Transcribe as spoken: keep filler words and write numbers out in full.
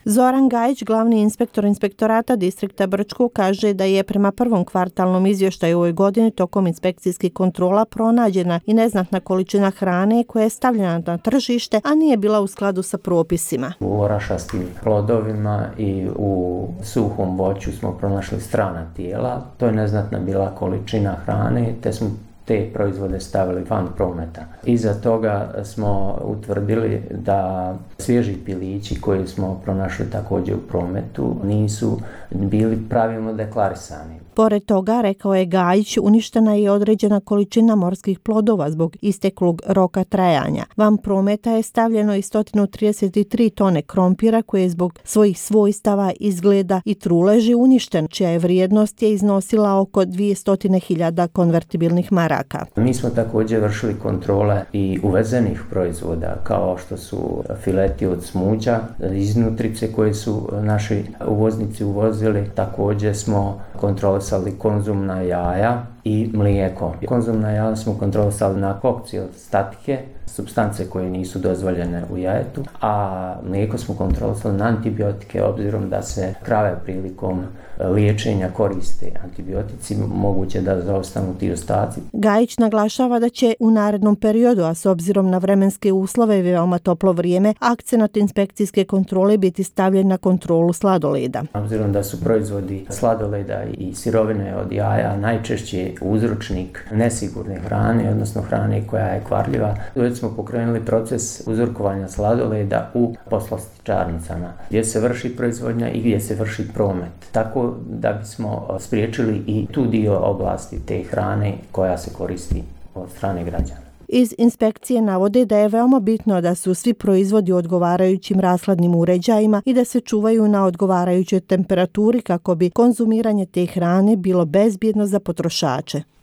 Zoran Gajić, glavni inspektor inspektorata distrikta Brčko, kaže da je prema prvom kvartalnom izvještaju u ovoj godini tokom inspekcijskih kontrola pronađena i neznatna količina hrane koja je stavljena na tržište, a nije bila u skladu sa propisima. U orašastim plodovima i u suhom voću smo pronašli strana tijela. To je neznatna bila količina hrane, te smo te proizvode stavili van prometa. Iza toga smo utvrdili da svježi pilići koje smo pronašli također u prometu nisu bili pravilno deklarisani. Pored toga, rekao je Gajić, uništena je određena količina morskih plodova zbog isteklog roka trajanja. Van prometa je stavljeno i sto trideset tri tone krompira koje je zbog svojih svojstava, izgleda i truleži uništen, čija je vrijednost je iznosila oko dvjesto hiljada konvertibilnih maraka. Mi smo također vršili kontrole i uvezenih proizvoda kao što su fileti od smuđa, iznutrice koje su naši uvoznici uvozili. Također smo kontrolisali konzumna jaja i mlijeko. Konzumna jaja smo kontrolisali na kokcil statike, supstance koje nisu dozvoljene u jajetu, a mlijeko smo kontrolisali na antibiotike, obzirom da se krave prilikom liječenja koriste antibiotici, moguće da zaostanu ti ostaci. Gajić naglašava da će u narednom periodu, a s obzirom na vremenske uslove i veoma toplo vrijeme, akcenat inspekcijske kontrole biti stavljen na kontrolu sladoleda. Obzirom da su proizvodi sladoleda i sirovine od jaja najčešće uzročnik nesigurne hrane, odnosno hrane koja je kvarljiva, već smo pokrenuli proces uzorkovanja sladoleda u poslastičarnicama, gdje se vrši proizvodnja i gdje se vrši promet. Tako da bismo spriječili i tu dio oblasti te hrane koja se koristi od strane građana. Iz inspekcije navode da je veoma bitno da su svi proizvodi u odgovarajućim rashladnim uređajima i da se čuvaju na odgovarajućoj temperaturi kako bi konzumiranje te hrane bilo bezbjedno za potrošače.